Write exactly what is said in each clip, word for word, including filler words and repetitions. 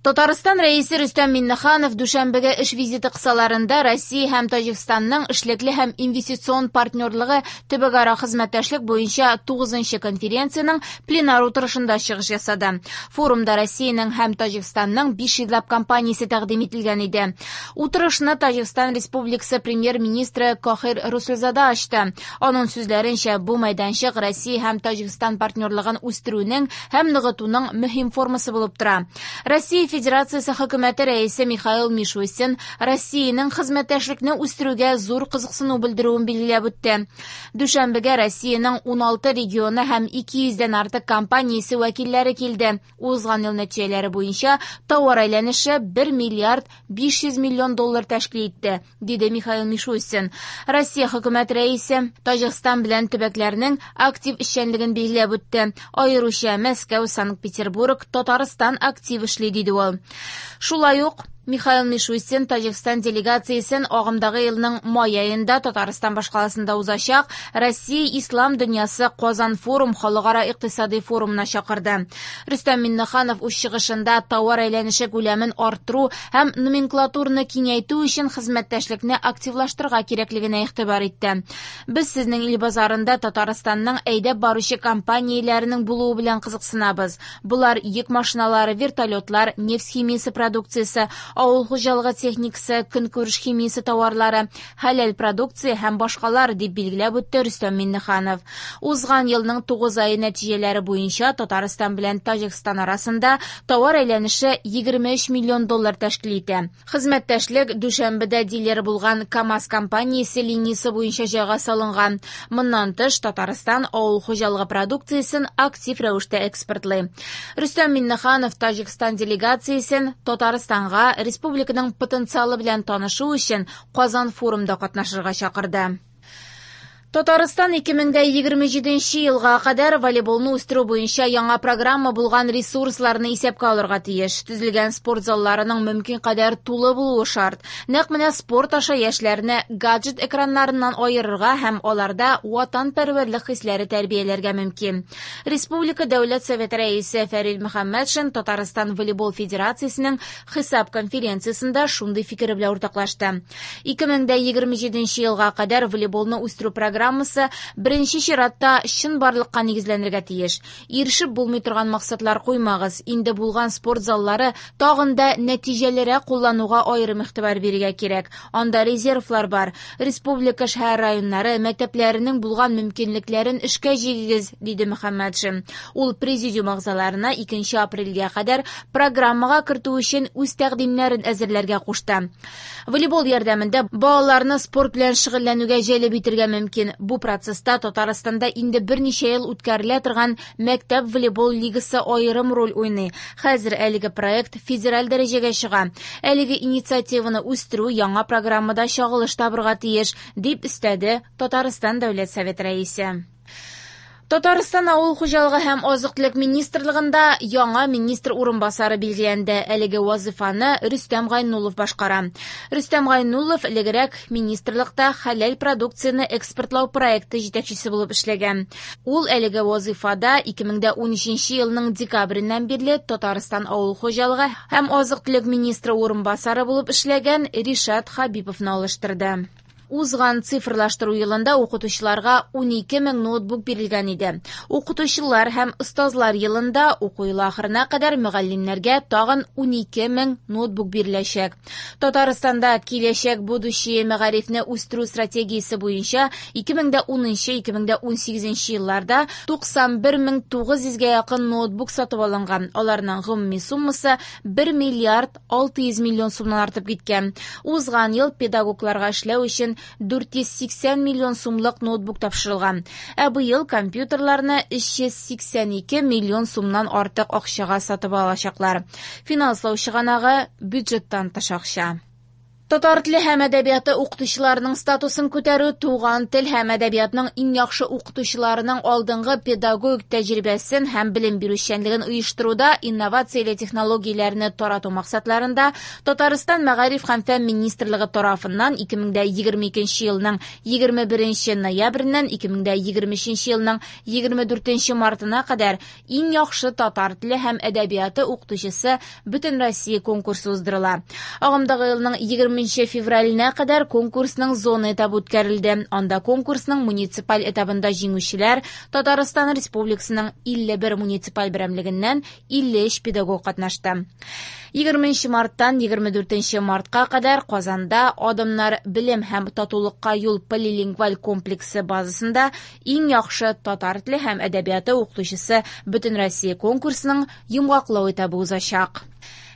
Татарстан Рәисе Рөстәм Миңнеханов Дүшәнбегә эш визиты кысаларында Россия һәм Таҗикстанның эшлекле һәм инвестицион партнерлыгы төбәкара хезмәттәшлек буенча тугызынчы конференциянең пленар утырышында чыгыш ясады. Форумда Россиянең һәм Таҗикстанның биш йөзләп компаниясе тәкъдим ителгән иде. Утырышны Таҗикстан Республикасы премьер-министры Кохир Расулзода ачты. Аның сүзләренчә, бу мәйданчык Россия һәм Таҗикстан партнерлыгын үстерүнең һәм ныгытуның мөһим формасы булып тора. Россия Федерациясе хөкүмәте рәисе Михаил Мишустин Россиянең хезмәттәшлекне үстерүгә зур кызыксыну белдерүен билгеләп үтте. Дүшәнбегә Россиянең ун алты регионы һәм ике йөздән артык компаниясе вәкилләре килде. Узган ел нәтиҗәләре буенча товар әйләнеше бер миллиард биш йөз миллион доллар тәшкил итте, диде Михаил Мишустин. Россия хөкүмәт рәисе Таҗикстан белән төбәкләрнең актив эшчәнлеген билгеләп үтте. Аеруча Мәскәү, Санкт-Петербург, Татарстан актив эшли, диде ул. Шулай ук Михаил Мишустин Таҗикстан делегациясен агымдагы елның май аенда Татарстан башкаласында узачак Россия Ислам дөньясы Казан форум халыкара икътисади форумына чакырды. Рөстәм Миңнеханов үз чыгышында товар әйләнеше күләмен арттыру һәм номенклатураны киңәйтү өчен хезмәттәшлекне активлаштырырга кирәклегенә игътибар итте. Без сезнең ил базарында Татарстанның әйдәп баручы компанияләренең булуы белән кызыксынабыз. Булар йөк машиналары, вертолетлар, нефть химиясе продукциясе, авыл хуҗалыгы техникасы, көнкүреш химиясе товарлары, хәләл продукция һәм башкалар, дип билгеләп үтте Рөстәм Миңнеханов. Узган елның тугыз ае нәтиҗәләре буенча Татарстан белән Таҗикстан арасында товар әйләнеше егерме өч миллион доллар тәшкил итә. Хезмәттәшлек Дүшәнбедә дилер булган КАМАЗ компаниясе линиясе буенча җайга салынган. Моннан тыш, Татарстан авыл хуҗалыгы продукциясен актив рәвештә экспортлый. Рөстәм Миңнеханов Таҗикстан делегациясен Татарстанга республиканың потенциалы белән танышу өчен Казан форумда катнашырга чакырды. Татарстан ике мең дә егерме җиденче елга кадәр волейболны үстерү буенча яңа программа булган ресурсларны исәпкә алырга тиеш. Төзелгән спорт залларының мөмкин кадәр тулы булуы шарт. Нәкъ менә спорт аша яшьләрне гаджет экраннарыннан аерырга һәм аларда ватанпәрвәрлек хисләре тәрбияләргә мөмкин. Республика Дәүләт Советы рәисе Фәрит Мөхәммәтшин Татарстан волейбол федерациясенең хисап конференциясендә шундый фикер белән уртаклашты. Ике мең дә егерме җиденче елга кадәр волейболны үстерү программасы программасы беренче чиратта чынбарлыкка нигезләнергә тиеш. Ирешеп булмый торган максатлар куймагыз. Инде булган спорт заллары тагын да нәтиҗәлерәк куллануга аерым игътибар бирергә кирәк. Анда резервлар бар. Республика шәһәр районнары мәктәпләренең булган мөмкинлекләрен эшкә җигегез, диде Мөхәммәтшин. Ул президиум әгъзаларына икенче апрельгә кадәр программага кертү өчен үз тәкъдимнәрен әзерләргә кушты. Волейбол ярдәмендә балаларны спорт белән шөгыльләнүгә җәлеп итәргә мөмкин. Бу процесста Татарстанда инде берничә ел үткәрелә торган мәктәп волейбол лигасы аерым роль уйный. Хәзер әлеге проект федераль дәрәҗәгә чыга. Әлеге инициативаны үстерү яңа программада чагылыш табырга тиеш, дип өстәде Татарстан Дәүләт Советы рәисе. Татарстан Авыл хуҗалыгы һәм азык-төлек министрлыгында яңа министр урынбасары билгеләнде. Әлеге вазифаны Рөстәм Гайнуллов башкара. Рөстәм Гайнуллов элегрәк министрлыкта хәләл продукцияне экспортлау проекты җитәкчесе булып эшләгән. Ул әлеге вазифада ике мең дә унөченче елның декабреннән бирле Татарстан Авыл хуҗалыгы һәм азык-төлек министры урынбасары булып эшләгән Ришат Хабиповны алыштырды. Узган цифрлаштыру елында укытучыларга унике мең ноутбук бирелгән иде. Укытучылар һәм остазлар елында уку елы ахырына кадәр мөгаллимнәргә тагын унике мең ноутбук биреләчәк. Татарстанда киләчәк будущее мәгарифне үстерү стратегиясе буенча ике мең дә унынчы, ике мең дә унсигезенче елларда туксан бер мең тугыз йөзгә якын ноутбук сатып алынган. Аларның гомуми суммасы бер миллиард алты йөз миллион сумнан артып киткән. Узган ел педагогларга эшләү өчен дүрт йөз сиксән миллион сумлык ноутбук тапшырылган. Ә быел компьютерларны өч йөз сиксән ике миллион сумнан артык акчага сатып алачаклар. Финанслау чыганагы бюджеттан тыш акча. Татар теле һәм әдәбияты укытучыларының статусын күтәрү, туган тел һәм әдәбиятның иң яхшы укытучыларының алдынгы педагогик тәҗрибәсен һәм белем бирү эшчәнлеген оештыруда инновацияле технологияләрне тарату максатларында Татарстан Мәгариф һәм фән министрлыгы тарафыннан ике мең егерме икенче елның егерме беренче ноябреннән ике мең егерме өченче елның егерме дүртенче мартына кадәр иң яхшы татар теле һәм әдәбияты укытучысы Бөтенроссия конкурсы уздырыла. Агымдагы елның егерме февраленә кадәр конкурсның зона этабы үткәрелде. Анда конкурсның муниципаль этабында җиңүчеләр Татарстан Республикасының илле бер муниципаль берәмлегеннән илле өч педагог катнашты. Егерменче марттан егерме дүртенче мартка кадәр Казанда Адымнар белем һәм татулыкка юл полилингваль комплексы базасында иң яхшы татар теле һәм әдәбияты укытучысы Бөтенроссия конкурсының йомгаклау этабы узачак.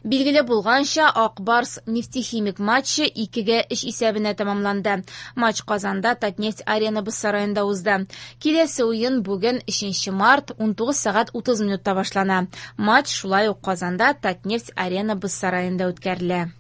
Билгеле булганча, Ак Барс Нефтехимик матчы икегә өч исәбенә тәмамланды. Матч Казанда Татнефть Арена боз сараенда узды. Киләсе уен бүген өченче март унтугыз сәгать утыз минутта башлана. Матч шулай ук Казанда Татнефть Арена боз сараенда үткәрелә.